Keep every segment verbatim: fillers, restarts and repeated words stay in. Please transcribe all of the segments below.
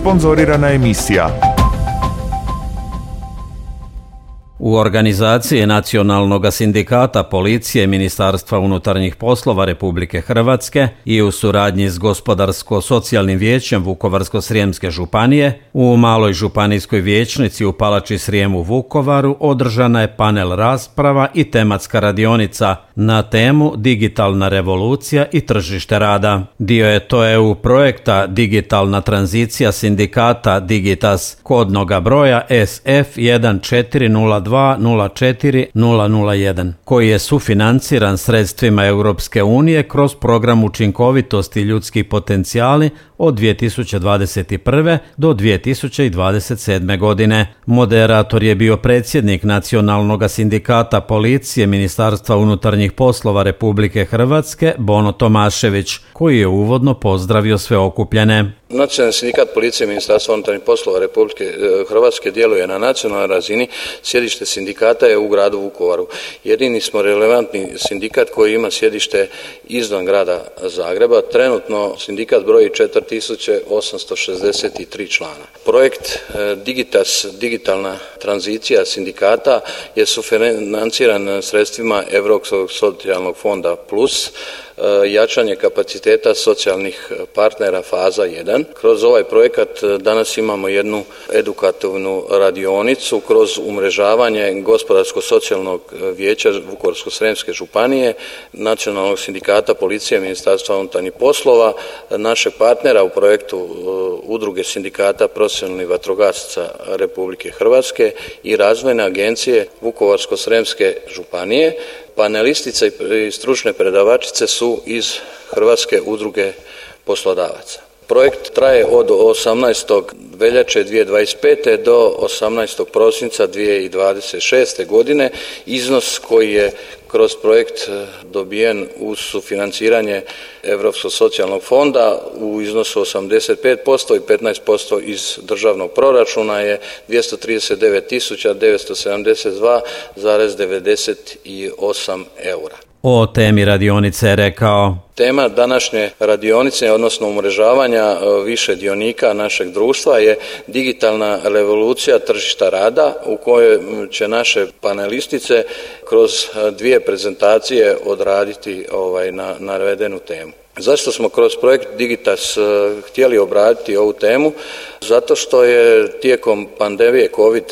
Sponzorirana emisija. U organizaciji Nacionalnog sindikata policije Ministarstva unutarnjih poslova Republike Hrvatske i u suradnji s Gospodarsko-socijalnim vijećem Vukovarsko-srijemske županije u Maloj županijskoj vijećnici u Palači Srijem u Vukovaru održana je panel rasprava i tematska radionica na temu Digitalna revolucija i tržište rada. Dio je to E U projekta Digitalna tranzicija sindikata Digitas kodnoga broja S F jedan četiri nula dva nula četiri nula nula jedan, koji je sufinanciran sredstvima Europske unije kroz program učinkovitosti ljudski potencijali od dvije tisuće dvadeset prve do dvije tisuće dvadeset sedme godine. Moderator je bio predsjednik Nacionalnog sindikata policije Ministarstva unutarnjih poslova Republike Hrvatske Bono Tomašević, koji je uvodno pozdravio sve okupljene. Nacionalni sindikat policije Ministarstva unutarnjih poslova Republike Hrvatske djeluje na nacionalnoj razini. Sjedište sindikata je u gradu Vukovaru. Jedini smo relevantni sindikat koji ima sjedište izvan grada Zagreba. Trenutno sindikat broji četiri tisuće osamsto šezdeset tri člana. Projekt Digitas, digitalna tranzicija sindikata, je sufinanciran sredstvima Europskog socijalnog fonda plus, jačanje kapaciteta socijalnih partnera faza jedan. Kroz ovaj projekat danas imamo jednu edukativnu radionicu kroz umrežavanje Gospodarsko-socijalnog vijeća Vukovarsko-srijemske županije, Nacionalnog sindikata policije Ministarstva unutarnjih poslova, našeg partnera u projektu Udruge sindikata profesionalnih vatrogasaca Republike Hrvatske i Razvojne agencije Vukovarsko-srijemske županije. Panelistice i stručne predavačice su iz Hrvatske udruge poslodavaca. Projekt traje od osamnaestog veljače dvije tisuće dvadeset pete do osamnaestog prosinca dvije tisuće dvadeset šeste godine. Iznos koji je kroz projekt dobijen uz sufinanciranje Europskog socijalnog fonda u iznosu osamdeset pet posto i petnaest posto iz državnog proračuna je dvjesto trideset devet tisuća devetsto sedamdeset dva zarez devedeset osam eura. O temi radionice je rekao: Tema današnje radionice, odnosno umrežavanja više dionika našeg društva, je digitalna revolucija tržišta rada, u kojoj će naše panelistice kroz dvije prezentacije odraditi ovaj, na navedenu temu. Zašto smo kroz projekt Digitas htjeli obraditi ovu temu? Zato što je tijekom pandemije kovid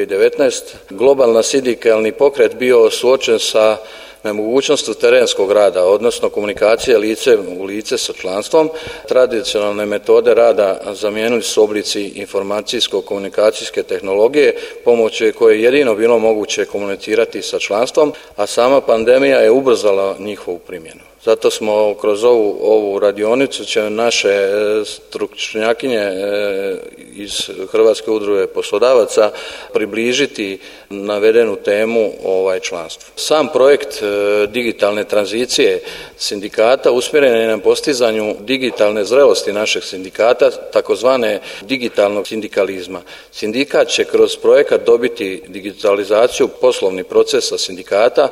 devetnaest globalna sindikalni pokret bio suočen sa nemogućnostu terenskog rada, odnosno komunikacije lice u lice sa članstvom. Tradicionalne metode rada zamijenili su oblici informacijsko-komunikacijske tehnologije, pomoću koje je jedino bilo moguće komunicirati sa članstvom, a sama pandemija je ubrzala njihovu primjenu. Zato smo kroz ovu, ovu radionicu će naše stručnjakinje iz Hrvatske udruge poslodavaca približiti navedenu temu ovaj članstvu. Sam projekt digitalne tranzicije sindikata usmjeren je na postizanju digitalne zrelosti našeg sindikata, takozvane digitalnog sindikalizma. Sindikat će kroz projekat dobiti digitalizaciju poslovnih procesa sindikata,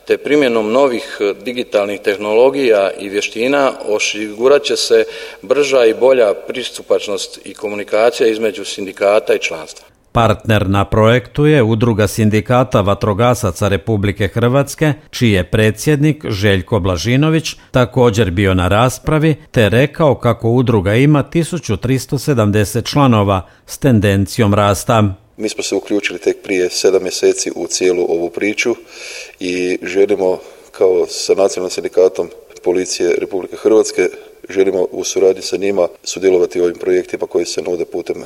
te primjenom novih digitalnih tehnologija i vještina osigurat će se brža i bolja pristupačnost i komunikacija između sindikata i članstva. Partner na projektu je Udruga sindikata vatrogasaca Republike Hrvatske, čiji je predsjednik Željko Blažinović također bio na raspravi, te rekao kako udruga ima tisuću tristo sedamdeset članova s tendencijom rasta. Mi smo se uključili tek prije sedam mjeseci u cijelu ovu priču i želimo kao sa Nacionalnim sindikatom policije Republike Hrvatske želimo u suradnji sa njima sudjelovati u ovim projektima koji se nude putem e,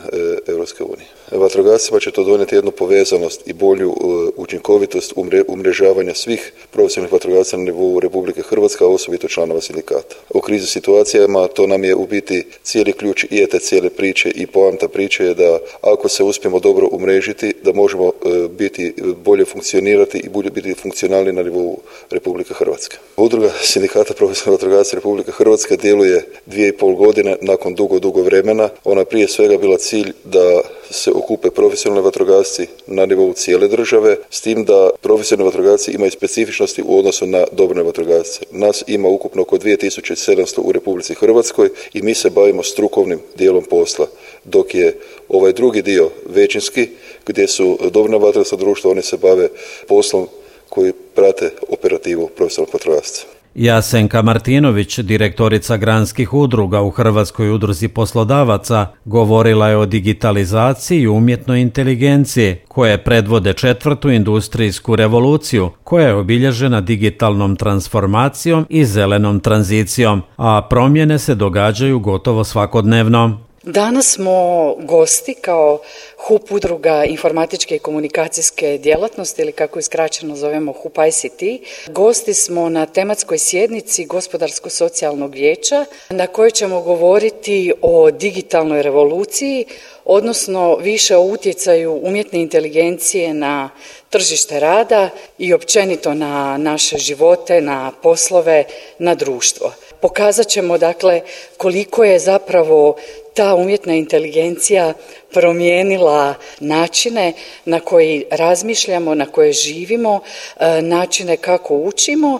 Europske unije. Vatrogascima će to donijeti jednu povezanost i bolju e, učinkovitost umre, umrežavanja svih profesionalnih vatrogasaca na nivou Republike Hrvatske, a osobito članova sindikata. U krizi situacijama to nam je u biti cijeli ključ i te cijele priče i poanta priče je da ako se uspijemo dobro umrežiti, da možemo e, biti bolje funkcionirati i bolje biti funkcionalni na nivou Republike Hrvatske. Udruga sindikata profesionalnih vatrogasaca Republike Hrvatske djeluje je dvije i pol godine nakon dugo, dugo vremena. Ona prije svega bila cilj da se okupe profesionalni vatrogasci na nivou cijele države, s tim da profesionalni vatrogasci imaju specifičnosti u odnosu na dobrovoljne vatrogasce. Nas ima ukupno oko dvije tisuće sedamsto u Republici Hrvatskoj i mi se bavimo strukovnim dijelom posla, dok je ovaj drugi dio većinski, gdje su dobrovoljna vatrogasna društva, oni se bave poslom koji prate operativu profesionalnog vatrogasca. Jasenka Martinović, direktorica granskih udruga u Hrvatskoj udruzi poslodavaca, govorila je o digitalizaciji i umjetnoj inteligenciji, koje predvode četvrtu industrijsku revoluciju, koja je obilježena digitalnom transformacijom i zelenom tranzicijom, a promjene se događaju gotovo svakodnevno. Danas smo gosti kao H U P udruga informatičke i komunikacijske djelatnosti, ili kako iskraćeno zovemo H U P I C T. Gosti smo na tematskoj sjednici Gospodarsko-socijalnog vijeća na kojoj ćemo govoriti o digitalnoj revoluciji, odnosno više o utjecaju umjetne inteligencije na tržište rada i općenito na naše živote, na poslove, na društvo. Pokazat ćemo dakle koliko je zapravo ta umjetna inteligencija promijenila načine na koji razmišljamo, na koje živimo, načine kako učimo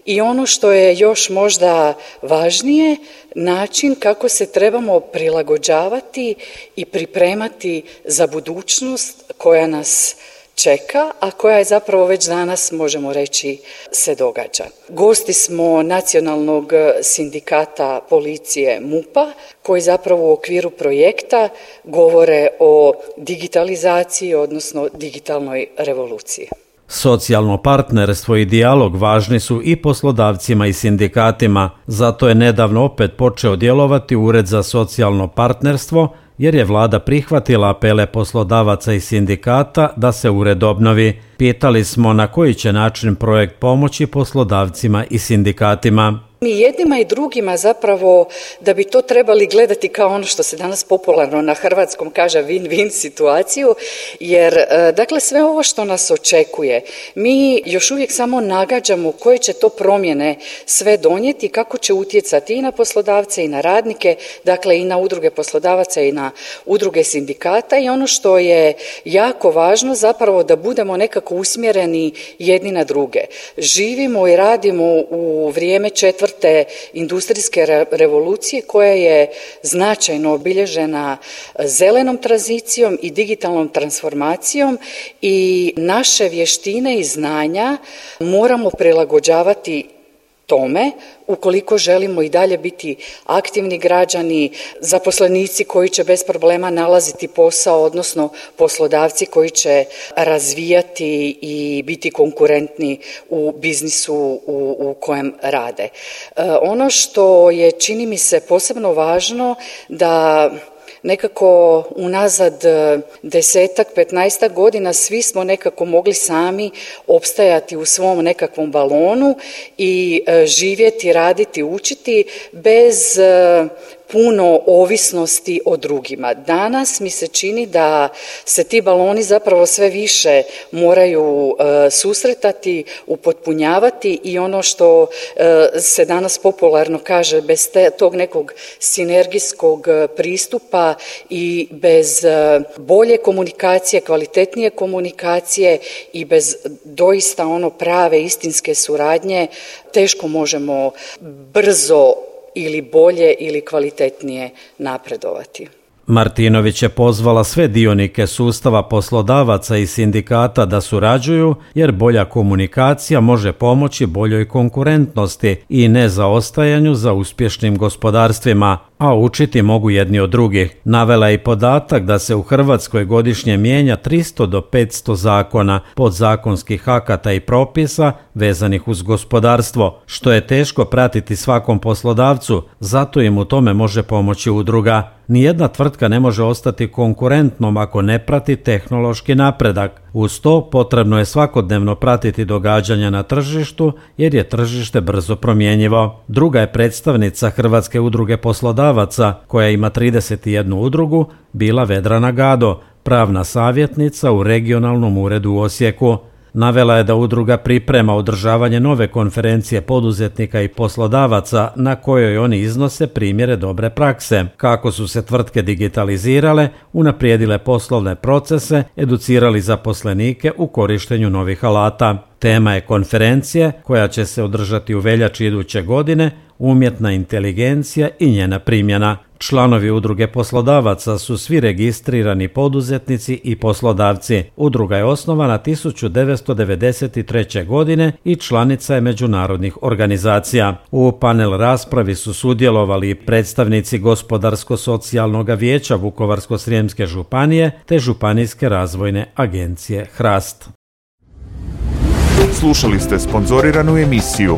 i ono što je još možda važnije, način kako se trebamo prilagođavati i pripremati za budućnost koja nas čeka, a koja je zapravo već danas, možemo reći, se događa. Gosti smo Nacionalnog sindikata policije M U P-a, koji zapravo u okviru projekta govore o digitalizaciji, odnosno digitalnoj revoluciji. Socijalno partnerstvo i dijalog važni su i poslodavcima i sindikatima, zato je nedavno opet počeo djelovati Ured za socijalno partnerstvo, jer je vlada prihvatila apele poslodavaca i sindikata da se ured obnovi. Pitali smo na koji će način projekt pomoći poslodavcima i sindikatima. Mi jednima i drugima zapravo da bi to trebali gledati kao ono što se danas popularno na hrvatskom kaže win-win situaciju, jer dakle sve ovo što nas očekuje, mi još uvijek samo nagađamo koje će to promjene sve donijeti, kako će utjecati i na poslodavce i na radnike, dakle i na udruge poslodavaca i na udruge sindikata, i ono što je jako važno zapravo da budemo nekako usmjereni jedni na druge. Živimo i radimo u vrijeme četvrte te industrijske revolucije koja je značajno obilježena zelenom tranzicijom i digitalnom transformacijom i naše vještine i znanja moramo prilagođavati tome ukoliko želimo i dalje biti aktivni građani, zaposlenici koji će bez problema nalaziti posao, odnosno poslodavci koji će razvijati i biti konkurentni u biznisu u, u kojem rade. E, ono što je, čini mi se, posebno važno da nekako unazad desetak, petnaestak godina svi smo nekako mogli sami opstajati u svom nekakvom balonu i živjeti, raditi, učiti bez puno ovisnosti o drugima. Danas mi se čini da se ti baloni zapravo sve više moraju uh, susretati, upotpunjavati i ono što uh, se danas popularno kaže, bez te, tog nekog sinergijskog pristupa i bez uh, bolje komunikacije, kvalitetnije komunikacije i bez doista ono prave istinske suradnje teško možemo brzo ili bolje ili kvalitetnije napredovati. Martinović je pozvala sve dionike sustava poslodavaca i sindikata da surađuju, jer bolja komunikacija može pomoći boljoj konkurentnosti i nezaostajanju za uspješnim gospodarstvima, a učiti mogu jedni od drugih. Navela je i podatak da se u Hrvatskoj godišnje mijenja tristo do petsto zakona, podzakonskih akata i propisa vezanih uz gospodarstvo, što je teško pratiti svakom poslodavcu, zato im u tome može pomoći udruga. Nijedna tvrtka ne može ostati konkurentnom ako ne prati tehnološki napredak. Uz to potrebno je svakodnevno pratiti događanja na tržištu, jer je tržište brzo promjenjivo. Druga je predstavnica Hrvatske udruge poslodavaca, koja ima trideset jednu udrugu, bila Vedrana Gado, pravna savjetnica u regionalnom uredu u Osijeku. Navela je da udruga priprema održavanje nove konferencije poduzetnika i poslodavaca na kojoj oni iznose primjere dobre prakse, kako su se tvrtke digitalizirale, unaprijedile poslovne procese, educirali zaposlenike u korištenju novih alata. Tema je konferencije koja će se održati u veljači iduće godine, umjetna inteligencija i njena primjena. Članovi udruge poslodavaca su svi registrirani poduzetnici i poslodavci. Udruga je osnovana tisuću devetsto devedeset treće. godine i članica je međunarodnih organizacija. U panel raspravi su sudjelovali predstavnici Gospodarsko-socijalnog vijeća Vukovarsko-srijemske županije te Županijske razvojne agencije Hrast. Slušali ste sponzoriranu emisiju